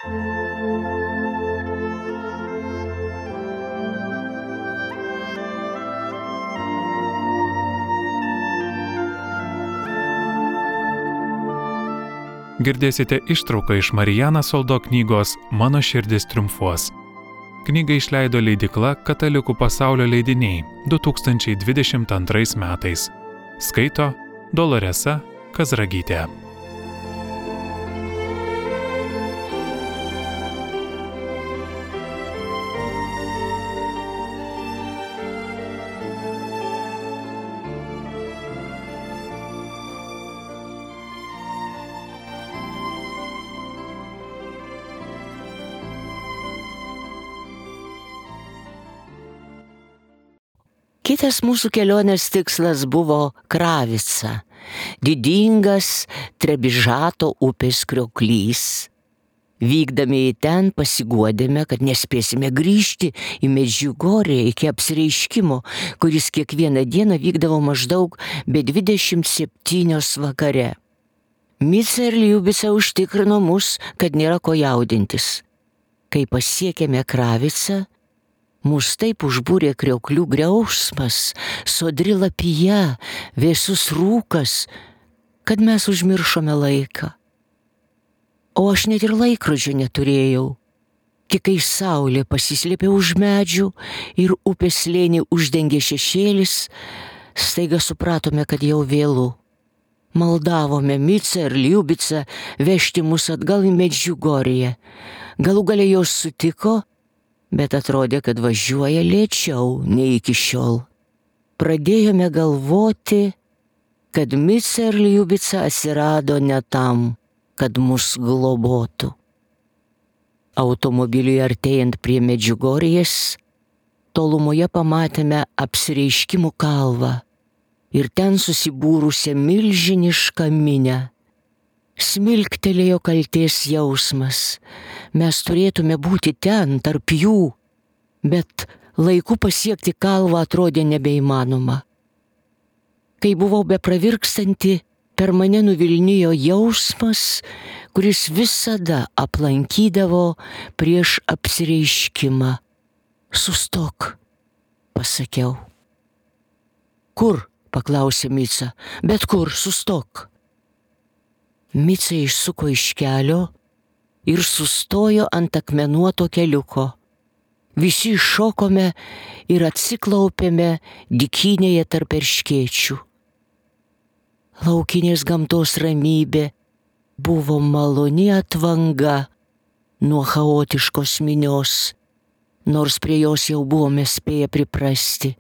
Girdėsite ištrauką iš Marijaną Soldo knygos Mano širdis triumfuos. Knygą išleido leidykla Katalikų pasaulio leidiniai 2022 metais. Skaito Doloresa Kazragytė. Kitas mūsų kelionės tikslas buvo Kravica, didingas Trebižato upės krioklys. Vykdami į ten pasiguodėme, kad nespėsime grįžti į Medžiugorję iki apsireiškimo, kuris kiekvieną dieną vykdavo maždaug be 27 vakare. Mica ir Liubica užtikrino mus, kad nėra ko jaudintis. Kai pasiekėme Kravicą, mus taip užbūrė krioklių griausmas, sodri lapija, vėsus rūkas, kad mes užmiršome laiką. O aš net ir laikrodžio neturėjau. Tik kai saulė pasislėpė už medžių ir upės slėnį uždengė šešėlis, staiga supratome, kad jau vėlu. Maldavome Micą ir Liubicą vežti mus atgal į Medžiugorję. Galų gale jos sutiko, bet atrodė, kad važiuoja lėčiau nei iki šiol. Pradėjome galvoti, kad Mica ir Liubica atsirado ne tam, kad mus globotų. Automobiliui artėjant prie Medžiugorjės, tolumoje pamatėme apsireiškimų kalvą ir ten susibūrusią milžinišką minią. Smilktelėjo kaltės jausmas. Mes turėtume būti ten, tarp jų, bet laiku pasiekti kalvą atrodė nebeįmanoma. Kai buvau bepravirkstanti, per mane nuvilnijo jausmas, kuris visada aplankydavo prieš apsireiškimą. Sustok, pasakiau. Kur? Paklausė Mica. Bet kur, sustok. Mica išsuko iš kelio ir sustojo ant akmenuoto keliuko. Visi šokome ir atsiklaupėme dykynėje tarp erškėčių. Laukinės gamtos ramybė buvo maloni atvanga nuo chaotiškos minios, nors prie jos jau buvome spėję priprasti.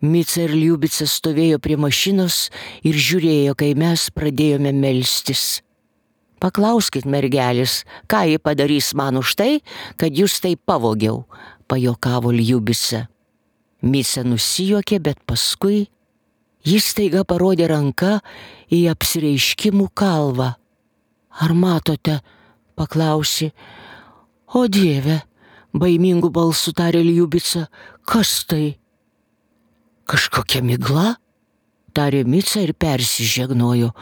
Mica ir Liubica stovėjo prie mašinos ir žiūrėjo, kai mes pradėjome melstis. Paklauskit, mergelis, ką ji padarys man už tai, kad jūs tai pavogiau, pajokavo Liubica. Mica nusijuokė, bet paskui jis staiga parodė ranką į apsireiškimų kalvą. Ar matote, paklausė. O Dieve, baimingų balsų tarė Liubica, kas tai? Kažkokia migla, tarė Mica ir persižegnojo.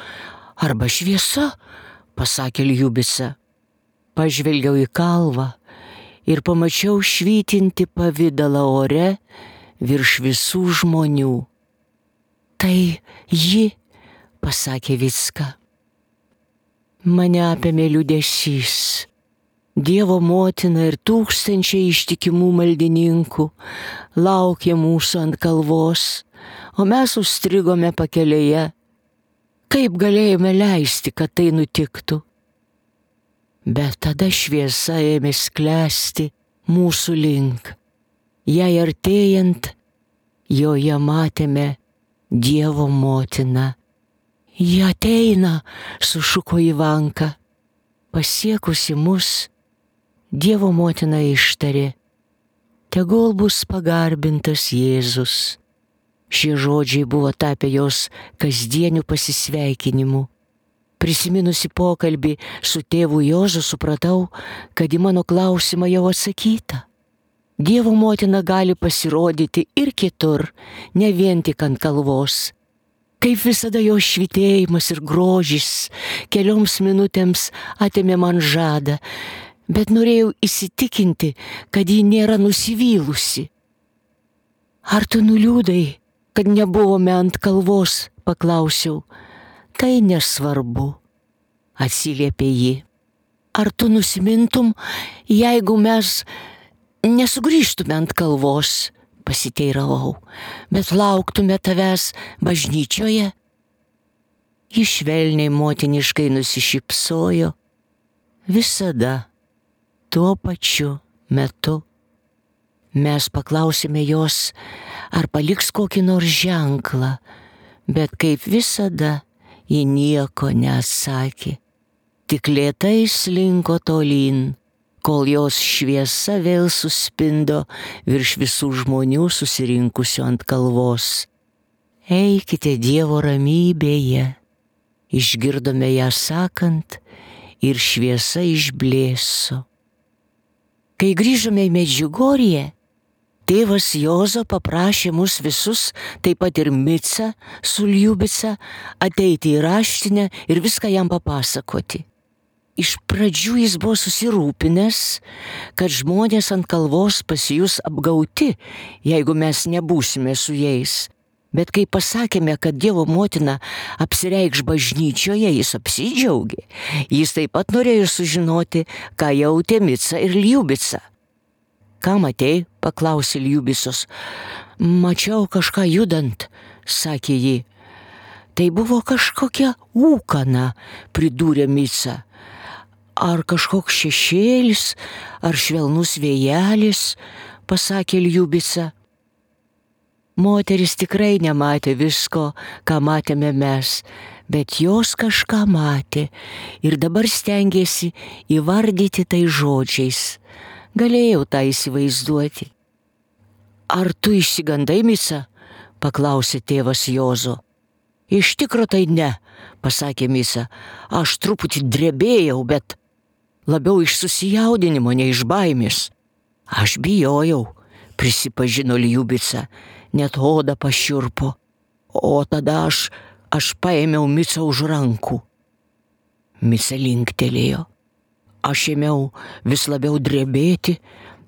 Arba šviesa, pasakė Liubica. Pažvelgiau į kalvą ir pamačiau švytinti pavidalą ore virš visų žmonių. Tai ji, pasakė Vicka. Mane apėmė liūdesys. Dievo motina ir tūkstančiai ištikimų maldininkų laukė mūsų ant kalvos, o mes užstrigome pakelėje. Kaip galėjome leisti, kad tai nutiktų? Bet tada šviesa ėmė sklęsti mūsų link. Jai artėjant, joje matėme Dievo motiną. Ji ateina, sušuko Ivanka. Pasiekusi mus, Dievo motina ištarė, tegul bus pagarbintas Jėzus. Šie žodžiai buvo tapę jos kasdieniu pasisveikinimu. Prisiminusi pokalbį su tėvu Juozu, supratau, kad į mano klausimą jau atsakyta. Dievo motina gali pasirodyti ir kitur, ne vien tik ant kalvos. Kaip visada jo švytėjimas ir grožis kelioms minutėms atėmė man žadą, bet norėjau įsitikinti, kad ji nėra nusivylusi. Ar tu nuliūdai, kad nebuvome ant kalvos, paklausiau. Tai nesvarbu, atsiliepė ji. Ar tu nusimintum, jeigu mes nesugrįžtume ant kalvos, pasiteiravau, bet lauktume tavęs bažnyčioje? Ji švelniai motiniškai nusišypsojo. Visada tuo pačiu metu. Mes paklausėme jos, ar paliks kokį nors ženklą, bet kaip visada ji nieko neatsakė. Tik lėtai slinko tolyn, kol jos šviesa vėl suspindo virš visų žmonių susirinkusių ant kalvos. Eikite Dievo ramybėje, išgirdome ją sakant ir šviesa išblėso. Kai grįžome į Medžiugorję, tėvas Jozo paprašė mus visus, taip pat ir Micą su Ljubica, ateiti į raštinę ir viską jam papasakoti. Iš pradžių jis buvo susirūpinęs, kad žmonės ant kalvos pasijus apgauti, jeigu mes nebūsime su jais. Bet kai pasakėme, kad Dievo motina apsireikš bažnyčioje, jis apsidžiaugė. Jis taip pat norėjo sužinoti, ką jautė Mica ir Ljubica. Ką matei? Paklausė Ljubicos. Mačiau kažką judant, sakė ji. Tai buvo kažkokia ūkana, pridūrė Mica. Ar kažkoks šešėlis, ar švelnus vėjelis, pasakė Ljubica. Moteris tikrai nematė visko, ką matėme mes, bet jos kažką matė ir dabar stengėsi įvardyti tai žodžiais. Galėjau tą įsivaizduoti. Ar tu išsigandai, Mica? Paklausė tėvas Jozo. Iš tikro tai ne, pasakė Mica. Aš truputį drebėjau, bet labiau iš susijaudinimo, ne iš baimės. Aš bijojau, prisipažino Ljubica, net oda pašiurpo. O tada aš paėmiau Micą už rankų. Mica linktelėjo. Aš ėmiau vis labiau drebėti.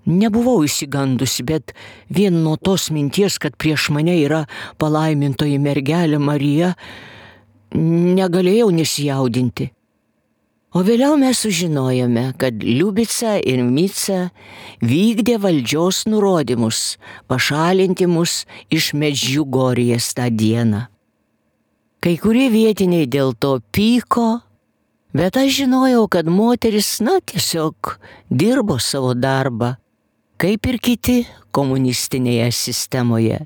Nebuvau išsigandusi, bet vien nuo tos minties, kad prieš mane yra palaimintoji mergelė Marija, negalėjau nesijaudinti. O vėliau mes sužinojome, kad Ljubica ir Mica vykdė valdžios nurodymus pašalinti mus iš Medžiugorjės tą dieną. Kai kurie vietiniai dėl to pyko, bet aš žinojau, kad moteris, tiesiog dirbo savo darbą, kaip ir kiti komunistinėje sistemoje.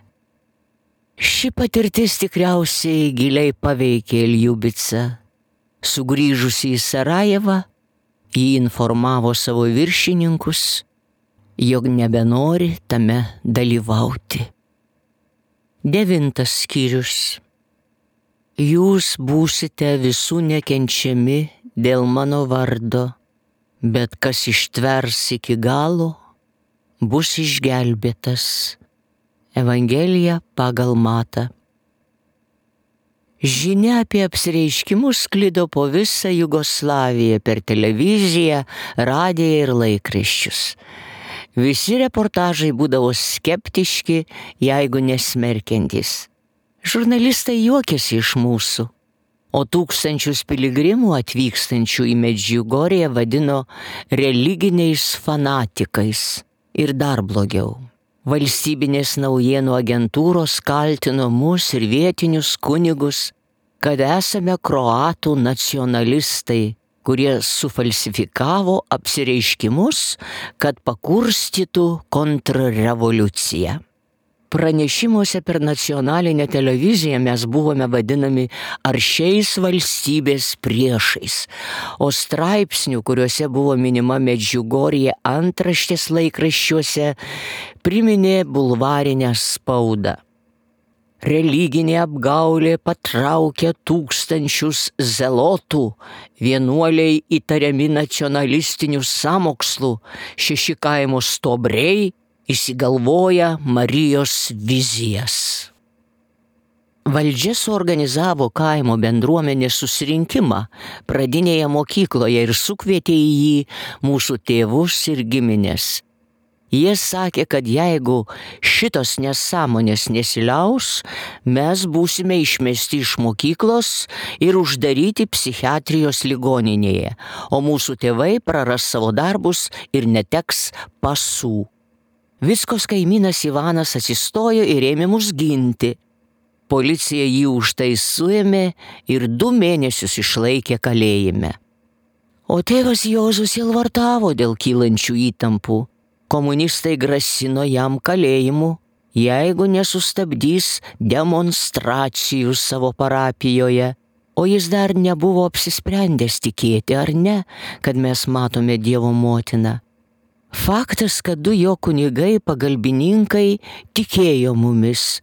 Ši patirtis tikriausiai giliai paveikė Ljubicą. Sugrįžusi į Sarajevą, ji informavo savo viršininkus, jog nebenori tame dalyvauti. 9 skyrius. Jūs būsite visų nekenčiami dėl mano vardo, bet kas ištvers iki galo, bus išgelbėtas. Evangelija pagal Matą. Žinia apie apsireiškimus sklido po visą Jugoslaviją per televiziją, radiją ir laikraščius. Visi reportažai būdavo skeptiški, jeigu nesmerkiantys. Žurnalistai juokėsi iš mūsų, o tūkstančius piligrimų atvykstančių į Medžiugorję vadino religiniais fanatikais. Ir dar blogiau. Valstybinės naujienų agentūros kaltino mus ir vietinius kunigus, kad esame kroatų nacionalistai, kurie sufalsifikavo apsireiškimus, kad pakurstytų kontrrevoliuciją. Pranešimuose per nacionalinę televiziją mes buvome vadinami aršiais valstybės priešais, o straipsnių, kuriuose buvo minima Medžiugorjė antraštės laikraščiuose, priminė bulvarinę spaudą. Religinė apgaulė patraukė tūkstančius zelotų, vienuoliai įtariami nacionalistinių sąmokslų, 6 kaimo stuobriai įsigalvoja Marijos vizijas. Valdžia suorganizavo kaimo bendruomenės susirinkimą pradinėje mokykloje ir sukvietė į jį mūsų tėvus ir giminės. Jie sakė, kad jeigu šitos nesąmonės nesiliaus, mes būsime išmesti iš mokyklos ir uždaryti psichiatrijos ligoninėje, o mūsų tėvai praras savo darbus ir neteks pasų. Viskos kaimynas Ivanas atsistojo ir ėmė mus ginti. Policija jį už tai suėmė ir 2 mėnesius išlaikė kalėjime. O tėvas Juozas sielvartavo dėl kylančių įtampų. Komunistai grasino jam kalėjimu, jeigu nesustabdys demonstracijų savo parapijoje, o jis dar nebuvo apsisprendęs tikėti ar ne, kad mes matome Dievo motiną. Faktas, kad 2 jo kunigai pagalbininkai tikėjo mumis.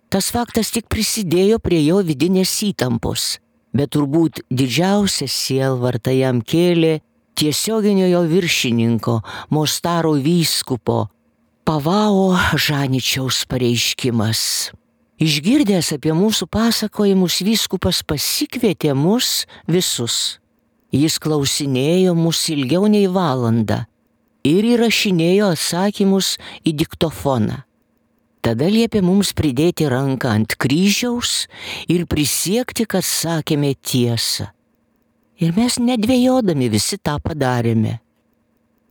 Tas faktas tik prisidėjo prie jo vidinės įtampos, bet turbūt didžiausią sielvartą jam kėlė tiesioginio jo viršininko, Mostaro vyskupo Pavao Žaničiaus pareiškimas. Išgirdęs apie mūsų pasakojimus, vyskupas pasikvietė mus visus. Jis klausinėjo mus ilgiau nei valandą ir įrašinėjo atsakymus į diktofoną. Tada liepė mums pridėti ranką ant kryžiaus ir prisiekti, kad sakėme tiesą. Ir mes nedvejodami visi tą padarėme.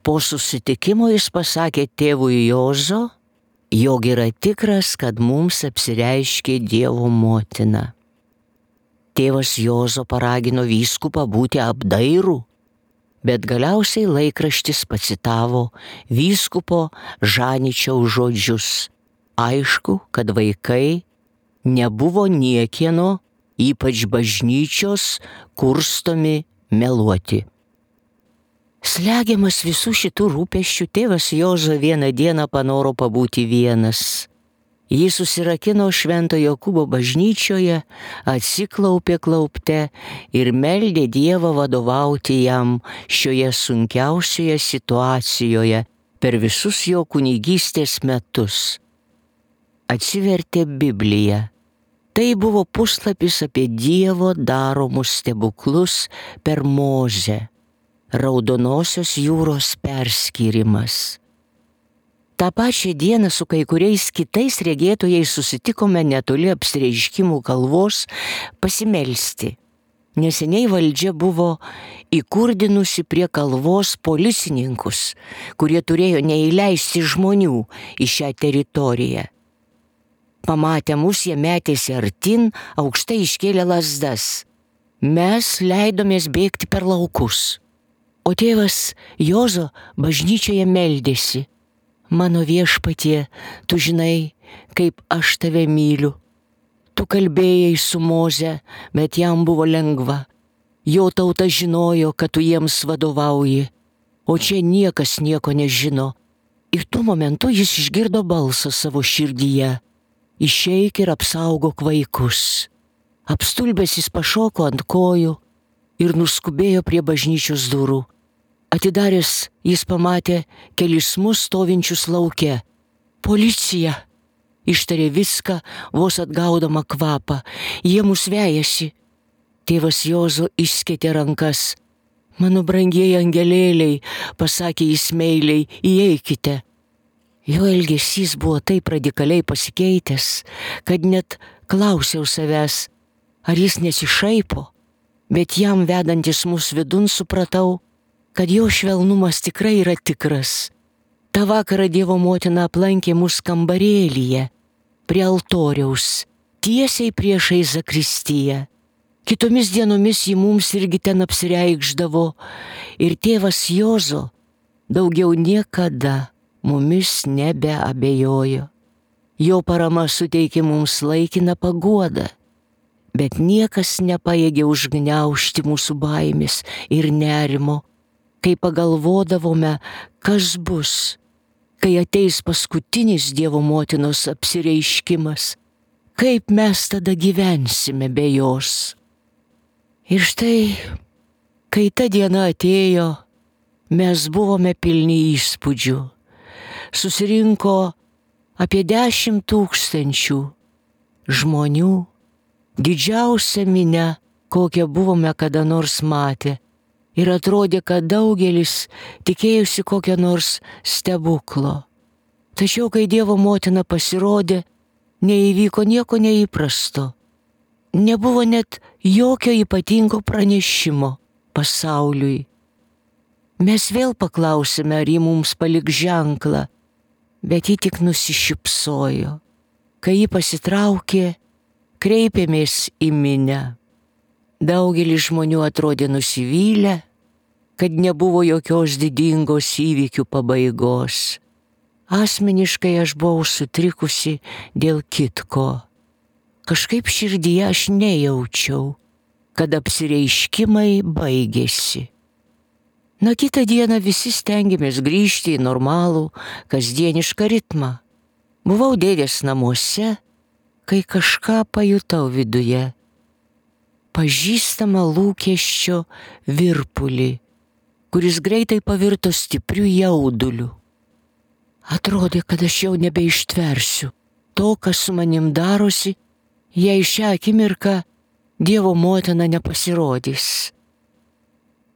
Po susitikimo jis pasakė tėvui Jozo, jog yra tikras, kad mums apsireiškė Dievo motina. Tėvas Jozo paragino vyskupą būti apdairų, bet galiausiai laikraštis pacitavo vyskupo Žaničiaus žodžius. Aišku, kad vaikai nebuvo niekieno, ypač bažnyčios, kurstomi meluoti. Slegiamas visų šitų rūpesčių, tėvas Jozo vieną dieną panoro pabūti vienas. Jis susirakino Švento Jokūbo bažnyčioje, atsiklaupė klaupte ir meldė Dievą vadovauti jam šioje sunkiausioje situacijoje per visus jo kunigystės metus. Atsivertė Bibliją. Tai buvo puslapis apie Dievo daromus stebuklus per Mozę, Raudonosios jūros perskyrimas. Ta pačia diena su kai kuriais kitais regėtojais susitikome netoli Apsireiškimų kalvos pasimelsti. Neseniai valdžia buvo įkurdinusi prie kalvos policininkus, kurie turėjo neįleisti žmonių į šią teritoriją. Pamatę mus, jie metėsi artin, aukštai iškėlė lazdas. Mes leidomės bėgti per laukus. O tėvas Jozo bažnyčioje meldėsi. Mano viešpatie, tu žinai, kaip aš tave myliu. Tu kalbėjai su Moze, bet jam buvo lengva. Jo tauta žinojo, kad tu jiems vadovauji, o čia niekas nieko nežino. Ir tuo momentu jis išgirdo balsą savo širdyje. Išeik ir apsaugok vaikus. Apstulbęs jis pašoko ant kojų ir nuskubėjo prie bažnyčios durų. Atidaręs jis pamatė kelis mus stovinčius lauke. Policija! Ištarė viską, vos atgaudama kvapą. Jie mus vejasi. Tėvas Jozo išskėtė rankas. Mano brangieji angelėliai, pasakė jis meiliai, įeikite. Jo elgesys buvo taip radikaliai pasikeitęs, kad net klausiau savęs, ar jis nesišaipo, bet jam vedantis mus vidun supratau, kad jo švelnumas tikrai yra tikras. Ta vakarą Dievo motina aplankė mus kambarėlyje, prie altoriaus, tiesiai priešai zakristiją. Kitomis dienomis ji mums irgi ten apsireikšdavo ir tėvas Jozo daugiau niekada mumis nebeabejojo. Jo parama suteikė mums laikiną paguodą, bet niekas nepajėgė užgniaužti mūsų baimės ir nerimo, kai pagalvodavome, kas bus, kai ateis paskutinis Dievo motinos apsireiškimas, kaip mes tada gyvensime be jos. Ir štai, kai ta diena atėjo, mes buvome pilni įspūdžių. Susirinko apie 10 000 žmonių didžiausia minia, kokią buvome kada nors matę. Ir atrodė, kad daugelis tikėjusi kokią nors stebuklo. Tačiau, kai Dievo motina pasirodė, neįvyko nieko neįprasto. Nebuvo net jokio ypatingo pranešimo pasauliui. Mes vėl paklausėme, ar ji mums paliks ženklą, bet ji tik nusišypsojo. Kai ji pasitraukė, kreipėmės į minią. Daugelis žmonių atrodė nusivylę, kad nebuvo jokios didingos įvykių pabaigos. Asmeniškai aš buvau sutrikusi dėl kitko. Kažkaip širdyje aš nejaučiau, kad apsireiškimai baigėsi. Na kitą dieną visi stengiamės grįžti į normalų, kasdienišką ritmą. Buvau dėdės namuose, kai kažką pajutau viduje. Pažįstamą lūkesčio virpulį, kuris greitai pavirto stipriu jauduliu. Atrodė, kad aš jau nebeištversiu to, kas su manim darosi, jei šią akimirką Dievo motina nepasirodys.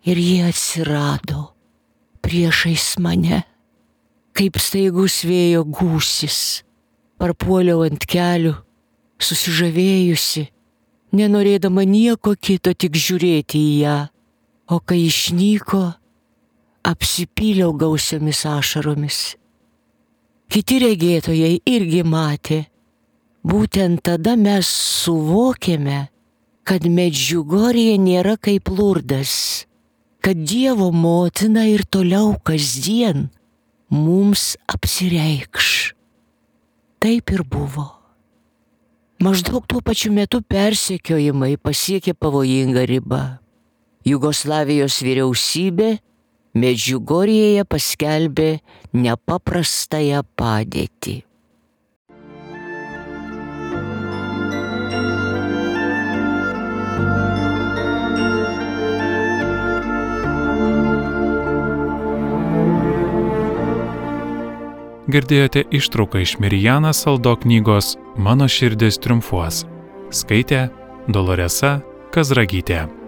Ir jie atsirado priešais mane, kaip staigus vėjo gūsis. Parpuoliau ant kelių, susižavėjusi, nenorėdama nieko kito, tik žiūrėti į ją. O kai išnyko, apsipyliau gausiomis ašaromis. Kiti regėtojai irgi matė. Būtent tada mes suvokėme, kad Medžiugorje nėra kaip Lurdas, kad Dievo motina ir toliau kasdien mums apsireikš. Taip ir buvo. Maždaug tuo pačiu metu persekiojimai pasiekė pavojingą ribą. Jugoslavijos vyriausybė Medžiugorjėje paskelbė nepaprastąją padėtį. Girdėjote ištrauką iš Mirjana Saldo knygos Mano širdis triumfuos. Skaitė Doloresa Kazragytė.